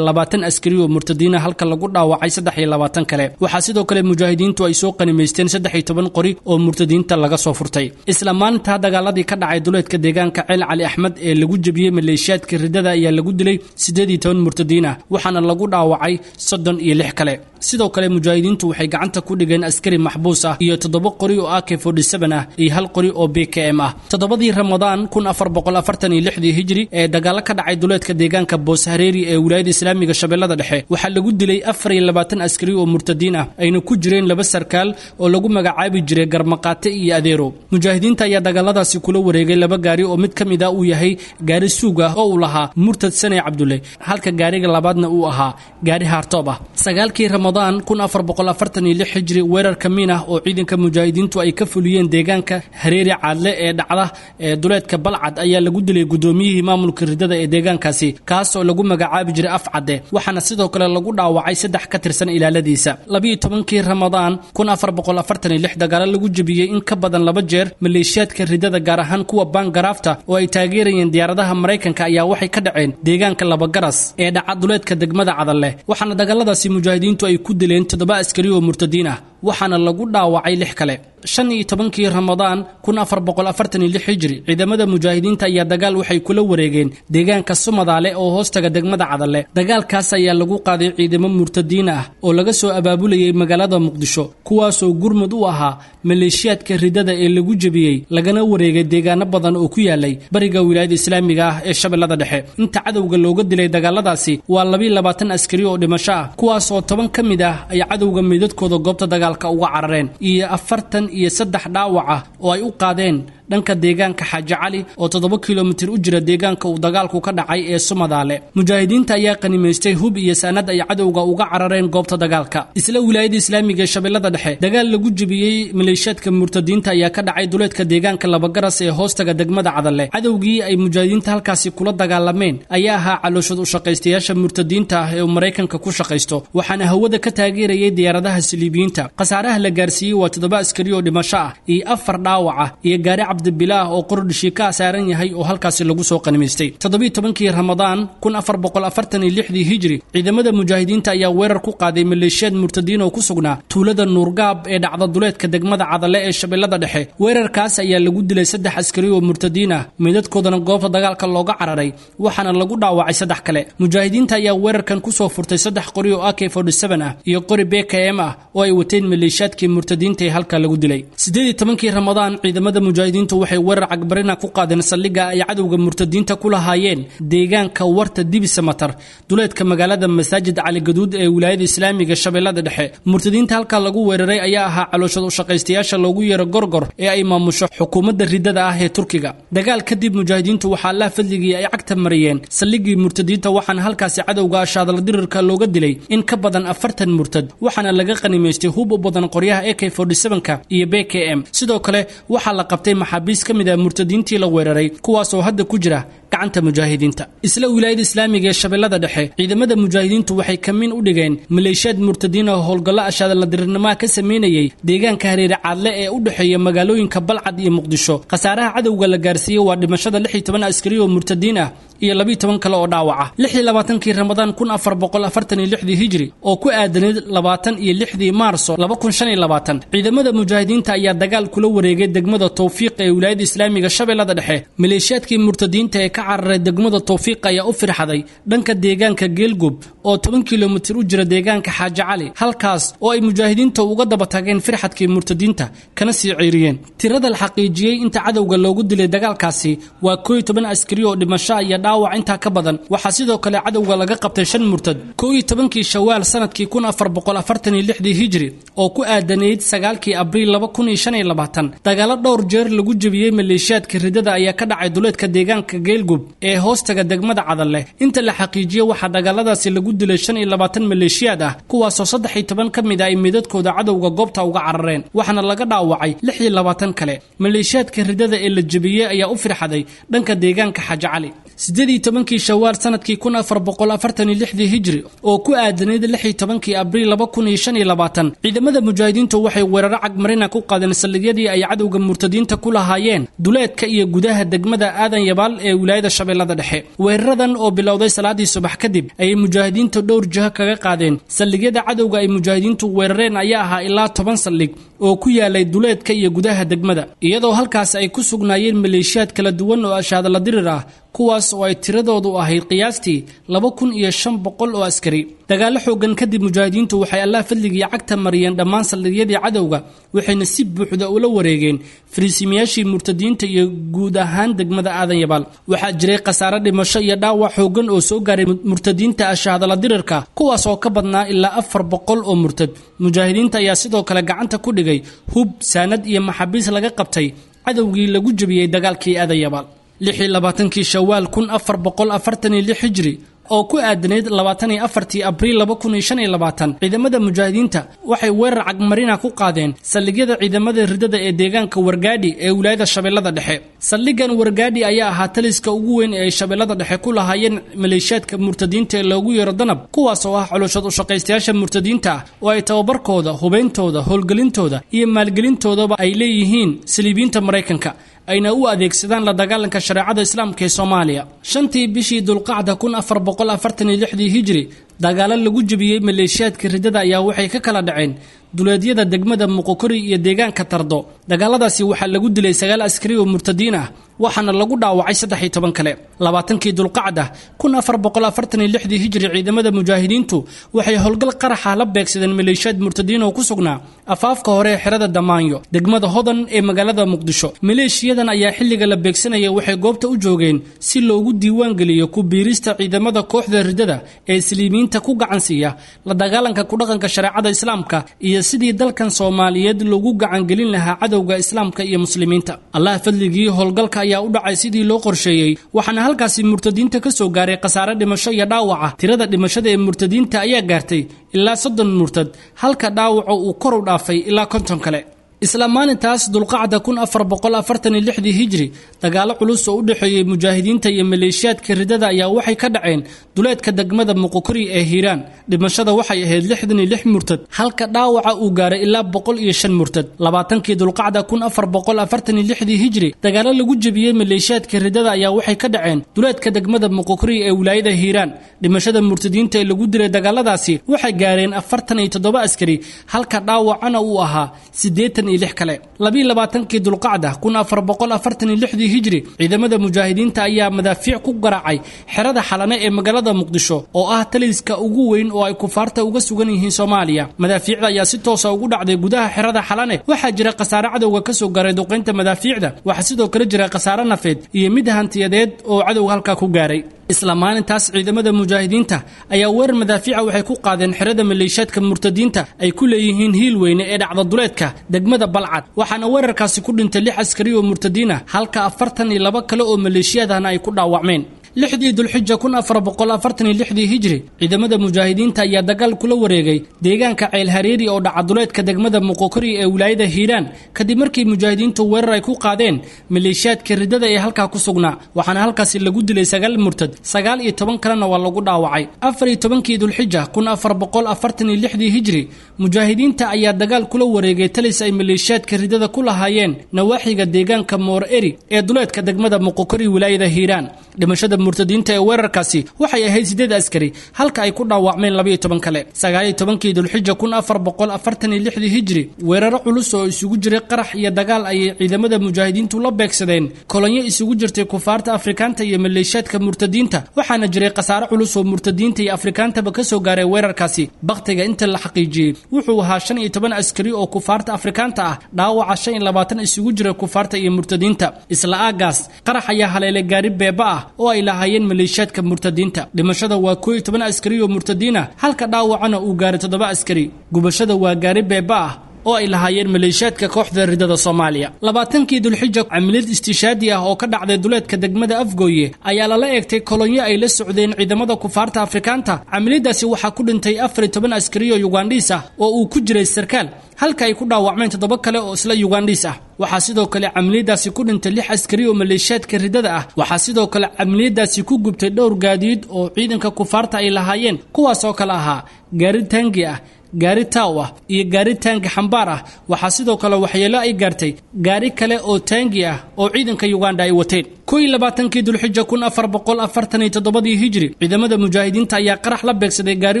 labaatan askari oo murtadiin ah, halka lagu dhaawacay saddex iyo labaatan kale. Waxaa sidoo kale mujaahidiintu ay soo qanimaysteen saddex iyo toban qori oo murtadiinta laga soo furtay. Isla maalintaa dagaaladii ka dhacay duleedka deegaanka Ceel Cali Axmed ee lagu jabiyey maleeshiyaadka ridada ayaa lagu dilay siddeed iyo toban murtadiin ah, waxaana lagu dhaawacay soddon iyo lix kale. Sidoo kale mujaahidiintu waxay gacanta ku dhigeen askari maxbuus ah iyo toddoba qori oo A K forty-seven ah iyo hal qori oo B K M ah. Toddobadii Ramadaan kun afar boqol afartan iyo lixdii hijri ee dagaalo ka dhacay duleedka deegaanka Booshareeri ee wilaayada islaamiga Shabeellada Dhexe waxaa lagu dilay afar iyo labaatan askari oo murtadiin ah, ayna ku jireen laba sarkaal oo lagu magacaabi jiray Garmaqaate iyo Adeero. Mujaahidiinta ayaa dagaaladaasi kula wareegay laba gaari oo mid ka mid ah uu yahay gaari suug ah oo uu lahaa murtad Sane Cabdulle, halka gaariga labaadna uu ahaa gaari haartoob ah. Sagaalkii Ramadaan kun afar boqol afartan iyo lix hijri weerar kamiin ah oo ciidanka mujaahidiintu ay ka fuliyeen deegaanka Hareeri Caadle ee dhacda ee duleedka Balcad ayaa lagu dilay gudoomiyihii maamulka ridada ee deegaankaasi, kaas oo lagu magacaabi jiray Afcade, waxaana sidoo kale lagu dhaawacay saddex ka tirsan ilaaladiisa. Labiyo tobankii Ramadaan kun afar boqol afartan iyo lix dagaalo lagu jabiyey in ka badan laba jeer maleeshiyaadka ridada, gaar ahaan kuwa Baangaraafta oo ay taageerayeen diyaaradaha Maraykanka, ayaa waxay ka dhaceen deegaanka Labagaras ee dhaca duleedka degmada Cadalle, waxaana dagaaladaasi mujaahidiintu ay ku dileen toddoba askari oo murtadiin ah waxaana lagu dhaawacay lix kale. Shan iyo tobankii Ramadaan kun afar boqol afartan iyo lix hijri ciidamada mujaahidiinta ayaa dagaal waxay kula wareegeen deegaanka Sumadaale oo hoostaga degmada Cadalle. Dagaalkaas ayaa lagu qaaday ciidamo murtadiin ah oo laga soo abaabulayay magaalada Muqdisho, kuwaasoo gurmud u ahaa maleeshiyaadka ridada ee lagu jebiyey lagana wareegay deegaano badan oo ku yaalay bariga wilaayada islaamiga ah ee Shabeellada Dhexe. Inta cadowga looga dilay dagaaladaasi waa laba iyo labaatan askari oo dhimasho ah, kuwaas oo toban ka mid ah ay cadowga meydadkooda goobta dagaalka uga carareen, iyo afartan iyo saddex dhaawac ah oo ay u qaadeen dhanka deegaanka Xaaji Cali oo toddoba kilomitir u jira deegaanka uu dagaalku ka dhacay ee Sumadaale. Mujaahidiinta ayaa qanimaystay hub iyo saanad ay cadowga uga carareen goobta dagaalka. Isla wilaayada islaamiga ee Shabeellada Dhexe dagaal lagu jebiyey maleeshiyaadka murtadiinta ayaa ka dhacay duleedka deegaanka Labagaras ee hoostaga degmada Cadalle. Cadowgii ay mujaahidiinta halkaasi kula dagaalameen ayaa ahaa calooshad u shaqaystayaasha murtadiinta ah ee Mareykanka ku shaqaysto, waxaana hawada ka taageerayay diyaaradaha saliibiyiinta. Khasaaraha la gaarsiiyey waa toddoba askari oo dhimasho ah iyo afar dhaawac ah iyo gaari Cabdibilaah oo qordhishii ka saaran yahay oo halkaasi lagu soo qanimaystay. Toddobiyo tobankii Ramadaan kun afar boqol afartan iyo lixdii hijri ciidamada mujaahidiinta ayaa weerar ku qaaday maleeshiyaad murtadiin oo ku sugnaa tuulada Nuurgaab ee dhacda duleedka degmada Cadalle ee Shabeellada Dhexe. Weerarkaas ayaa lagu dilay saddex askari oo murtadiin ah, meydadkoodana goobta dagaalka looga cararay, waxaana lagu dhaawacay saddex kale. Mujaahidiinta ayaa weerarkan ku soo furtay saddex qori oo A K forty-seven ah iyo qori B K M ah oo ay wateen maleeshiyaadkii murtadiinta ee halka lagu dilay. Siddeed iyo tobankii Ramadaan ciidamada mujaahidiintu waxay weerar cagbarina ku qaadeen saldhigga ay cadowga murtadiinta ku lahaayeen deegaanka Warta Dibisamatar duleedka magaalada Masaajid Cali Gaduud ee wilaayada islaamiga Shabeellada Dhexe. Murtadiinta halka lagu weeraray ayaa ahaa calooshad u shaqaystayaasha loogu yeero gorgor ee ay maamusho xukuumadda ridada ah ee Turkiga. Dagaal kadib mujaahidiintu waxaa la fadligii ay cagta mariyeen saldhiggii murtadiinta, waxaana halkaasi cadowga ashaadala dirirka looga dilay in ka badan afartan murtad, waxaana laga qanimaystay hub u badan qoryaha A K forty-seven ka iyo B K M. Sidoo kale waxaa la qabtay maxaabiis ka mid ah murtadiintii la weeraray, kuwaas oo hadda ku jira gacanta mujaahidiinta. Isla wilaayada islaamiga ee Shabeellada Dhexe ciidamada mujaahidiintu waxay kamin u dhigeen maleeshiyaad murtadiin oo howlgallo ashaadala dirirnimo ka sameynayay deegaanka Hareere Caadle ee u dhexeeya magaalooyinka Balcad iyo Muqdisho. Khasaaraha cadowga la gaarsiiyey waa dhimashada lix iyo toban askari oo murtadiin ah iyo laba iyo toban kale oo dhaawac ah. Lix iyo labaatankii Ramadaan kun afar boqol afartan iyo lixdii hijri oo ku aadanayd labaatan iyo lixdii Maarso laba kun shan iyo labaatan ciidamada mujaahidiinta ayaa dagaal kula wareegay degmada Tawfiiq ee wilaayada islaamiga Shabeellada Dhexe. Maleeshiyaadkii murtadiinta ee ka cararay degmada Tawfiiq ayaa u firxaday dhanka deegaanka Geelgub oo toban kilomitir u jira deegaanka Xaaji Cali, halkaas oo ay mujaahidiinta uga daba tageen firxadkii murtadiinta kana sii ceyriyeen. Tirada la xaqiijiyey inta cadowga loogu dilay dagaalkaasi waa koow iyo toban askari oo dhimasho iyo dhaawac intaa ka badan. Waxaa sidoo kale cadowga laga qabtay shan murtad. Koow iyo tobankii Shawaal sanadkii kun afar boqol afartan iyo lixdii hijri oo ku aadanayd sagaalkii Abriil laba kun iyo shan iyo labaatan dagaalo dhowr jeer lagu jebiyey maleeshiyaadka ridada ayaa ka dhacay duleedka deegaanka Geelgub ee hoostaga degmada Cadalle. Inta la xaqiijiyey waxaa dagaaladaasi lagu dilay shan iyo labaatan maleeshiyaad ah, kuwaasoo saddex iyo toban ka mid ah ay meydadkooda cadowga goobta uga carareen, waxaana laga dhaawacay lix iyo labaatan kale. Maleeshiyaadka ridada ee la jebiyey ayaa u firxaday dhanka deegaanka Xaaji Cali. Siddeed iyo tobankii Shawaal sanadkii kun afar boqol afartan iyo lixdii hijri oo ku aadanayd lix iyo tobankii Abriil laba kun iyo shan iyo labaatan ciidamada mujaahidiintu waxay weeraro cagmarina ku qaadeen saldhigyadii ay cadowga murtadiinta ku lahaayeen duleedka iyo gudaha degmada Aadan Yabaal ee wilaayada Shabeellada Dhexe. Weeraradan oo bilowday salaadii subax kadib ayay mujaahidiintu dhowr jiho kaga qaadeen saldhigyada cadowga ay mujaahidiintu weerareen ayaa ahaa ilaa toban saldhig oo ku yaalay duleedka iyo gudaha degmada, iyadoo halkaas ay ku sugnaayeen maleeshiyaad kala duwan oo ashaadala dirir ah, kuwaas oo ay tiradoodu ahayd qiyaastii laba kun iyo shan boqol oo askari. Dagaalo xooggan kadib mujaahidiintu waxay Allah fadligii cagta mariyeen dhammaan saldhigyadii cadowga, waxayna si buuxda ula wareegeen fariisimayaashii murtadiinta iyo guud ahaan degmada Aadan Yabaal. Waxaa jiray khasaare dhimasho iyo dhaawac xooggan oo soo gaaray murtadiinta ashaadala dirirka, kuwaas oo ka badnaa ilaa afar boqol oo murtad. Mujaahidiinta ayaa sidoo kale gacanta ku dhigay hub, saanad iyo maxaabiis laga qabtay cadowgii lagu jebiyey dagaalkii Aadan Yabaal. Lix iyo labaatankii Shawaal kun afar boqol afartan iyo lix hijri oo ku aadanayd labaatan iyo afartii Abriil laba kun iyo shan iyo labaatan ciidamada mujaahidiinta waxay weerar cagmarina ku qaadeen saldhigyada ciidamada ridada ee deegaanka Wargaadhi ee wilaayada Shabeellada Dhexe. Saldhiggan Wargaadhi ayaa ahaa taliska ugu weyn ee ay Shabeellada Dhexe ku lahaayeen maleeshiyaadka murtadiinta ee loogu yeero danab, kuwaas oo ah coloshad u shaqaystayaasha murtadiinta ah oo ay tababarkooda, hubeyntooda, howlgelintooda iyo maalgelintoodaba ay leeyihiin saliibiyiinta Mareykanka, ayna u adeegsadaan la dagaalanka shareecada islaamka ee Soomaaliya. Shantii bishii Dulqacda kun afar boqol afartan iyo lixdii hijri Dagaalo lagu jebiyey maleeshiyaadka riddada ayaa waxay ka kala dhaceen duleedyada degmada Muqokori iyo deegaanka Tardo. Dagaaladaasi waxaa lagu dilay sagaal askari oo murtadiin ah, waxaana lagu dhaawacay saddex iyo toban kale. Labaatankii Dulqacda kun afar boqol afartan iyo lixdii hijri, ciidamada mujaahidiintu waxay howlgal qaraxa la beegsadeen maleeshiyaad murtadiin oo ku sugnaa afaafka hore ee xerada Damaanyo, degmada Hodan ee magaalada Muqdisho. Maleeshiyadan ayaa xilliga la beegsanaya waxay goobta u joogeen si loogu diiwaan geliyo ku biirista ciidamada kooxda riddada ee islimiinta ku gacansiiya la dagaalanka ku dhaqanka shareecada islaamka iyo sidii dalkan Soomaaliyeed loogu gacangelin lahaa cadowga islaamka iyo muslimiinta. Allah fadligii, howlgalka ayaa u dhacay sidii loo qorsheeyey, waxaana halkaasi murtadiinta ka soo gaaray khasaare dhimasho iyo dhaawaca. Tirada dhimashada ee murtadiinta ayaa gaartay ilaa soddon murtad, halka dhaawaca uu kor u dhaafay ilaa konton kale. Isla maalintaas Dulqacda kun afar boqol afartan iyo lixdii hijri, dagaalo culus oo u dhexeeyey mujaahidiinta iyo maleeshiyaadka riddada ayaa waxay ka dhaceen duleedka degmada Muqokori ee Hiiraan. Dhimashada waxay ahayd lixdan iyo lix murtad, halka dhaawaca uu gaaray ilaa boqol iyo shan murtad. Labaatankii Dulqacda kun afar boqol afartan iyo lixdii hijri, dagaalo lagu jebiyey maleeshiyaadka riddada ayaa waxay ka dhaceen duleedka degmada Muqokori ee wilaayada Hiiraan. Dhimashada murtadiinta ee lagu dilay dagaaladaasi waxay gaareen afartan iyo toddoba askari, halka dhaawacana uu ahaa siddeetan iyo lix kale. Labiyo labaatankii Dulqacda kun afar boqol afartan iyo lixdii hijri, ciidamada mujaahidiinta ayaa madaafiic ku garaacay xerada Xalane ee magaalada Muqdisho oo ah taliska ugu weyn oo ay kufaarta uga sugan yihiin Soomaaliya. Madaafiicda ayaa si toosa ugu dhacday gudaha xerada Xalane. Waxaa jira khasaare cadowga ka soo gaaray duqeynta madaafiicda, waxaa sidoo kale jira khasaare nafeed iyo mid hantiyadeed oo cadowga halkaa ku gaaray. Isla maalintaas ciidamada mujaahidiinta ayaa weerar madaafiica waxay ku qaadeen xerada maleeshiyaadka murtadiinta ay ku leeyihiin hiil weyne ee dhacda duleedka degmada Balcad, waxaana weerarkaasi ku dhintay lix askari oo murtadiin ah, halka afartan iyo laba kale oo maleeshiyaad ahna ay ku dhaawacmeen. Lixdii Dulxija kun afar boqol afartan iyo lixdii hijri, ciidamada mujaahidiinta ayaa dagaal kula wareegay deegaanka Ceel Hareeri oo dhaca duleedka degmada Muqokori ee wilaayada Hiiraan, kadib markii mujaahidiintu weerar ay ku qaadeen maleeshiyaadka riddada ee halkaa ku sugnaa, waxaana halkaasi lagu dilay sagaal murtad, sagaal iyo toban kalena waa lagu dhaawacay. Afar iyo tobankii Dulxija kun afar boqol afartan iyo lixdii hijri, mujaahidiinta ayaa dagaal kula wareegay talis ay maleeshiyaadka riddada ku lahaayeen nawaaxiga deegaanka Moor Eri ee duleedka degmada Muqokori wilaayada Hiiraan. Dhimashada murtadiinta ee weerarkaasi waxay ahayd sideed askari, halka ay ku dhaawacmeen laba iyo toban kale. Sagaal iyo tobankii Dulxija kun afar boqol afartan iyo lixdii hijri, weeraro culus oo isugu jiray qarax iyo dagaal ayay ciidamada mujaahidiintu la beegsadeen kolonyo isugu jirtay kufaarta Afrikaanta iyo maleeshiyaadka murtadiinta, waxaana jiray khasaare culus oo murtadiinta iyo Afrikaantaba ka soo gaaray weerarkaasi. Bakhtiga inta la xaqiijiyey wuxuu ahaa shan iyo toban askari oo kufaarta Afrikaanta ah, dhaawaca shan iyo labaatan isugu jira kufaarta iyo murtadiinta. Isla aagaas qarax ayaa haleelay gaari beeba ah oo ay lahaayeen maleeshiyaadka murtadiinta. Dhimashada waa koo iyo toban askari oo murtadiin ah, halka dhaawacana uu gaaray toddoba askari. Gubashada waa gaari beeba ah oo ay lahaayeen maleeshiyaadka kooxda riddada Soomaaliya. Labaatankii Dulxija, camilid istishaadi ah oo ka dhacday duleedka degmada Afgooye ayaa lala eegtay kolonyo ay la socdeen ciidamada kufaarta Afrikaanta. Camilidaasi waxaa ku dhintay afar iyo toban askari oo Yugandhiis ah oo uu ku jiray sarkaal, halka ay ku dhaawacmeen toddoba kale oo isla Yugandhiis ah. Waxaa sidoo kale camiliyadaasi ku dhintay lix askari oo maleeshiyaadka riddada ah. Waxaa sidoo kale camiliyadaasi ku gubtay dhowr gaadiid oo ciidanka kufaarta ay lahaayeen, kuwaas oo kale ahaa gaari taangi ah, gaari taaw ah iyo gaari taangi xambaar ah. Waxaa sidoo kale waxyeelo ay gaartay gaari kale oo taangi ah oo ciidanka Uganda ay wateen. Kow iyo labaatankii Dulxija kun afar boqol afartan iyo toddobadii hijri, ciidamada mujaahidiinta ayaa qarax la beegsaday gaari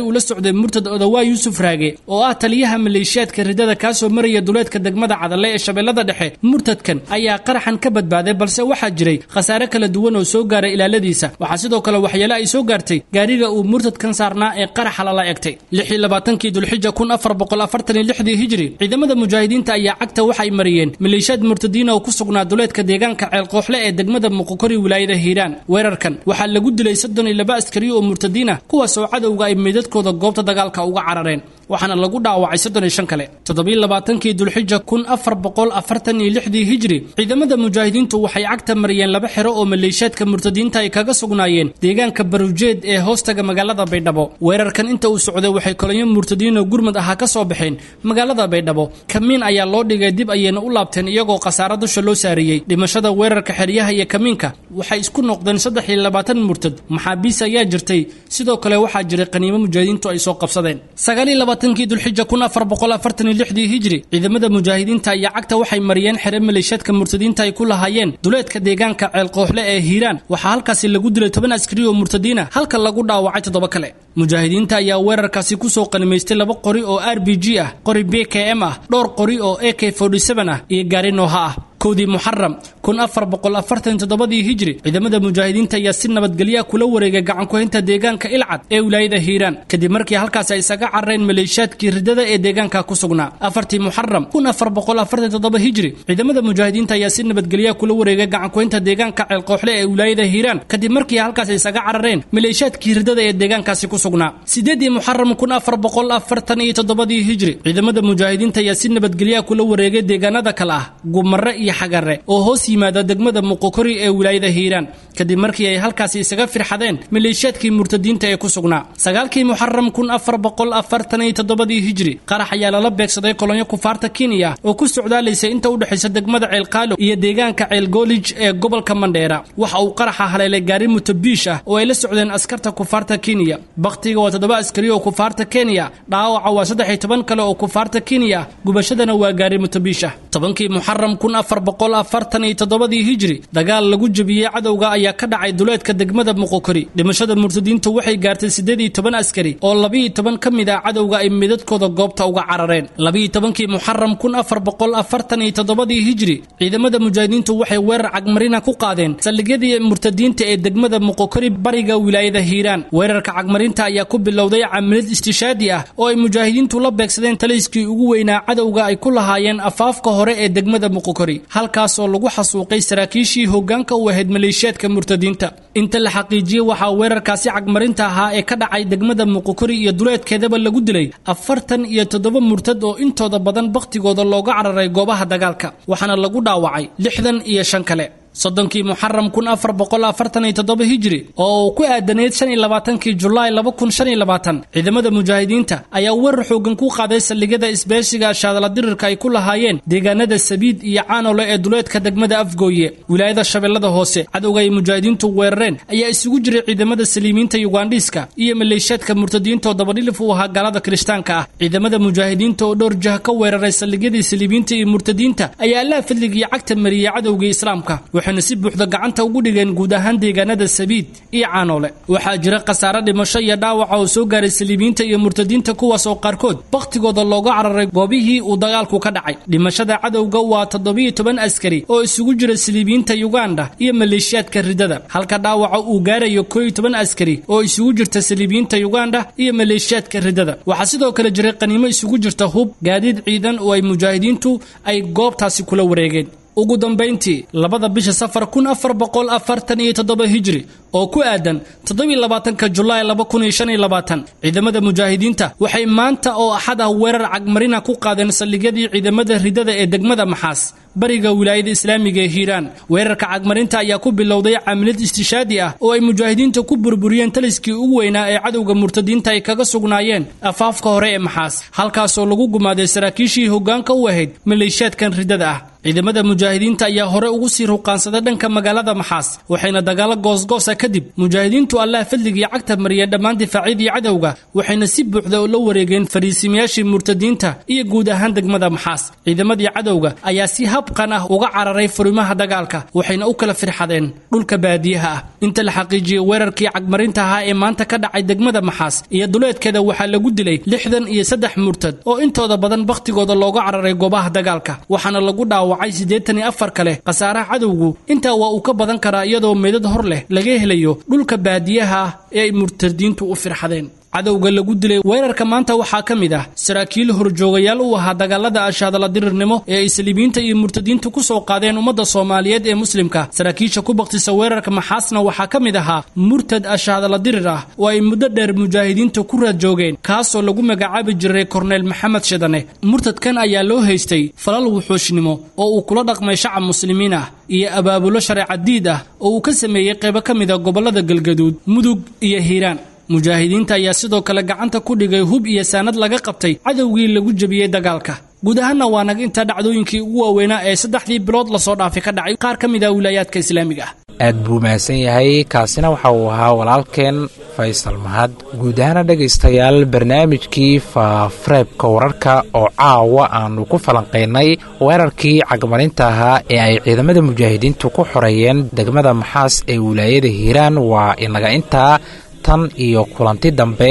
uu la socday murtad Odawaa Yuusuf Raage oo ah taliyaha maleeshiyaadka riddada, kaasoo maraya duleedka degmada Cadalle ee Shabeellada Dhexe. Murtadkan ayaa qaraxan ka badbaaday, balse waxaa jiray khasaare kala duwan oo soo gaaray ilaaladiisa. Waxaa sidoo kale waxyeelo ay soo gaartay gaariga uu murtadkan saarnaa ee qaraxa lala egtay. Lix iyo labaatankii Dulxija kun afar boqol afartan iyo lixdii hijri, ciidamada mujaahidiinta ayaa cagta waxay mariyeen maleeshiyaad murtadiin oo ku sugnaa duleedka deegaanka Ceel Qooxle ee degmada Muqokori wilaayada Hiiraan. Weerarkan waxaa lagu dilay soddon iyo laba askari oo murtadiin ah, kuwaas oo cadowga ay meydadkooda goobta dagaalka uga carareen, waxaana lagu dhaawacay soddon iyo shan kale. Toddobiyo labaatankii Dulxija kun afar boqol afartan iyo lixdii hijri, ciidamada mujaahidiintu waxay cagta mariyeen laba xero oo maleeshiyaadka murtadiinta ay kaga sugnaayeen deegaanka Barujeed ee hoostaga magaalada Baydhabo. Weerarkan inta uu socday waxay kolonyo murtadiin oo gurmad ahaa ka soo baxeen magaalada Baydhabo. Kamiin ayaa loo dhigay, dib ayayna u laabteen iyagoo khasaare dusha loo saariyey. Dhimashada weerarka xeryaha iyo kamiinka waxay isku noqdeen saddex iyo labaatan murtad. Maxaabiis ayaa jirtay, sidoo kale waxaa jiray qaniimo mujaahidiintu ay soo qabsadeen. Sagaal iyo labaatankii Dulxija kun afar boqol afartan iyo lixdii hijri ciidamada mujaahidiinta ayaa cagta waxay mariyeen xere maleeshiyaadka murtadiinta ay ku lahaayeen duleedka deegaanka Ceelqooxle ee Hiiraan. Waxaa halkaasi lagu dilay toban askari oo murtadiin ah, halka lagu dhaawacay toddoba kale. Mujaahidiinta ayaa weerarkaasi ku soo qanimaystay laba qori oo R B G ah, qori B K M ah, dhowr qori oo A K forty seven ah iyo gaari Nooha ah. Kowdii Muxaram kun afar boqol afartan iyo toddobadii hijri ciidamada mujaahidiinta ayaa si nabadgelyo kula wareegay gacan ku haynta deegaanka Ilcad ee wilaayada Hiiraan kadib markii halkaas ay isaga carareen maleeshiyaadkii ridada ee deegaanka ku sugnaa. Afartii Muxaram kun afar boqol afartan iyo toddoba hijri ciidamada mujaahidiinta ayaa si nabadgelyo kula wareegay gacan ku haynta deegaanka Ceelqooxle ee wilaayada Hiiraan kadib markii halkaas ay isaga carareen maleeshiyaadkii ridada ee deegaankaasi ku sugnaa. Sideedii Muxaram kun afar boqol afartan iyo toddobadii hijri ciidamada mujaahidiinta ayaa si nabadgelyo kula wareegay deegaanada kale ah Gumare iyo Xagare oo hoos yimaada degmada Muqokori ee wilaayada Hiiraan kadib markii ay halkaasi isaga firxadeen maleeshiyaadkii murtadiinta ee ku sugnaa. Sagaalkii Muxaram kun afar boqol afartan iyo toddobadii hijri qarax ayaa lala beegsaday kolonyo kufaarta Kenya oo ku socdaalaysay inta u dhaxaysa degmada Ceelqaalo iyo deegaanka Ceelgoolij ee gobolka Mandheera. Waxa uu qaraxa haleelay gaari mutabiish ah oo ay la socdeen askarta kufaarta Kenya. Bakhtiga waa toddoba askari oo kufaarta Kenya, dhaawaca waa saddex iyo toban kale oo kufaarta Kenya, gubashadana waa gaari mutabiish ah. Tobankii Muxaram kun afar boqol afartan iyo toddobadii hijri dagaal lagu jabiyey cadowga ayaa ka dhacay duleedka degmada Muqokori. Dhimashada murtadiintu waxay gaartay siddeed iyo toban askari oo laba iyo toban ka mid ah cadowga ay midadkooda goobta uga carareen. Laba iyo tobankii Muxaram kun afar boqol afartan iyo toddobadii hijri ciidamada mujaahidiintu waxay weerar cagmarina ku qaadeen saldhigyadii murtadiinta ee degmada Muqokori bariga wilaayada Hiiraan. Weerarka cagmarinta ayaa ku bilowday camaliyad istishaadi ah oo ay mujaahidiintu la beegsadeen taliskii ugu weynaa cadowga ay ku lahaayeen afaafka hore ee degmada Muqokori, halkaas oo lagu xasuuqay saraakiishii hoggaanka u ahayd maleeshiyaadka murtadiinta. Inta la xaqiijiyey waxaa weerarkaasi cagmarinta ahaa ee ka dhacay degmada Muqokori iyo duleedkeedaba lagu dilay afartan iyo toddoba murtad oo intooda badan bakhtigooda looga cararay goobaha dagaalka, waxaana lagu dhaawacay lixdan iyo shan kale. Soddonkii Muxaram kun afar boqol afartan iyo toddoba hijri oo uu ku aadaneyd shan iyo labaatankii Julaay laba kun shan iyo labaatan ciidamada mujaahidiinta ayaa weerar xoogan ku qaaday saldhigyada isbeeshiga shaadala dirirka ay ku lahaayeen deegaanada Sabiid iyo Caanole ee duleedka degmada Afgooye wilaayada Shabeellada Hoose. Cadowga ay mujaahidiintu weerareen ayaa isugu jiray ciidamada Saliimiinta Ugandhiiska iyo maleeshiyaadka murtadiinta oo dabadhilif u ahaa gaalada Kirishtaanka ah. Ciidamada mujaahidiinta oo dhowr jah ka weeraray saldhigyadii Saliimiinta iyo murtadiinta ayaa Allaah fadligii cagta mariyay cadowgii Islaamka, waxayna si buuxda gacanta ugu dhigeen guud ahaan deegaanada Sabiid iyo Caanole. Waxaa jira khasaare dhimasho iyo dhaawac oo soo gaaray Saliimiinta iyo murtadiinta, kuwaas oo qaarkood bakhtigooda looga cararay goobihii uu dagaalku ka dhacay. Dhimashada cadowga waa toddoba iyo toban askari oo isugu jira Saliimiinta Uganda iyo maleeshiyaadka ridada, halka dhaawaca uu gaarayo koow iyo toban askari oo isugu jirta Saliimiinta Uganda iyo maleeshiyaadka ridada. Waxaa sidoo kale jiray qaniimo isugu jirta hub, gaadiid ciidan oo ay mujaahidiintu ay goobtaasi kula wareegeen. Ugu dambeyntii labada bisha Safar kun afar boqol afartan iyo toddoba hijri oo ku aadan toddoba iyo labaatanka Julaay laba kun iyo shan iyo labaatan ciidamada mujaahidiinta waxay maanta oo axad ah weerar cagmarina ku qaadeen saldhigyadii ciidamada ridada ee degmada Maxaas bariga wilaayada Islaamiga ee Hiiraan. Weerarka cagmarinta ayaa ku bilowday camaliyad istishaadi ah oo ay mujaahidiinta ku burburiyeen taliskii ugu weynaa ee cadowga murtadiinta ay kaga sugnaayeen afaafka hore ee Maxaas, halkaasoo lagu gumaaday saraakiishii hoggaanka u ahayd maleeshiyaadkan ridada ah. Ciidamada mujaahidiinta ayaa hore ugu sii ruqaansaday dhanka magaalada Maxaas, waxayna dagaalo goosgoosa kadib mujaahidiintu Allaah fadligii cagta mariyeen dhammaan difaacyadii cadowga, waxayna si buuxda ula wareegeen fariisimayaashii murtadiinta iyo guud ahaan degmada Maxaas. Ciidamadii cadowga ayaa si habqan ah uga cararay furimaha dagaalka, waxayna u kala firxadeen dhulka baadiyaha ah. Inta la xaqiijiyey weerarkii cagmarinta ahaa ee maanta ka dhacay degmada Maxaas iyo duleedkeeda waxaa lagu dilay lixdan iyo saddex murtad oo intooda badan bakhtigooda looga cararay goobaha dagaalka, waxaana lagu dhaawacay siddeetan iyo afar kale. Khasaaraha cadowgu intaa waa uu ka badan karaa iyadoo meedad hor leh laga helayo dhulka baadiyaha ah ee ay murtadiintu u firxadeen. Cadowga lagu dilay weerarka maanta waxaa ka mid ah saraakiil horjoogayaal u ahaa dagaalada ashaadala dirirnimo ee ay Saliimiinta iyo murtadiintu ku soo qaadeen ummadda Soomaaliyeed ee muslimka. Saraakiisha ku baktisa weerarka Maxaasna waxaa ka mid ahaa murtad ashaadala dirir ah oo ay muddo dheer mujaahidiinta ku raad joogeen, kaasoo lagu magacaabi jiray Korneyl Maxamed Shidane. Murtadkan ayaa loo haystay falal wuxuushnimo oo uu kula dhaqmay shacab muslimiin ah iyo abaabulo shareecadiid ah oo uu ka sameeyey qaybo ka mid ah gobollada Galgaduud, Mudug iyo Hiiraan. Mujaahidiinta ayaa sidoo kale gacanta ku dhigay hub iyo saanad laga qabtay cadowgii lagu jabiyey dagaalka. Guud ahaanna waa naga intaa dhacdooyinkii ugu waaweynaa ee saddexdii bilood lasoo dhaafay ka dhacay qaar ka mid ah wilaayaadka Islaamiga ah. Aad buu mahadsan yahay. Kaasina waxa uu ahaa walaalkeen Faysal Mahad. Guud ahaana dhegaystayaal, barnaamijkii Faafareebka Wararka oo caawa aanu ku falanqaynay weerarkii cagmarinta ahaa ee ay ciidamada mujaahidiintu ku xoreeyeen degmada Maxaas ee wilaayada Hiiraan waa inaga intaa. Tan iyo kulanti dambe,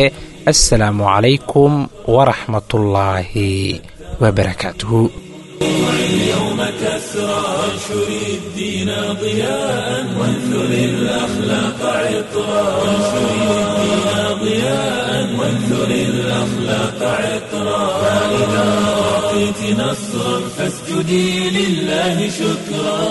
assalaamu calaykum waraxmatullaahi wabarakaatuhu. اليوم كسرى، وانشر الدين ضياء، وانثر الأخلاق عطرا، وانشر الدين ضياء، وانثر الأخلاق عطرا. فإذا أعطيت نصرا فاسجدي لله شكرا.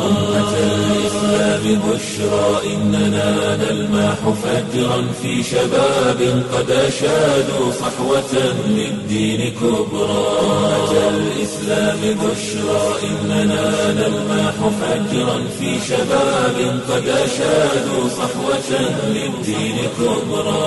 أمة الإسلام بشرى إننا نلمح فجرا في شباب قد أشادوا صحوة للدين كبرى. أمة الإسلام بشرى إننا نلمح فجرا في شباب قد أشادوا صحوة للدين كبرى.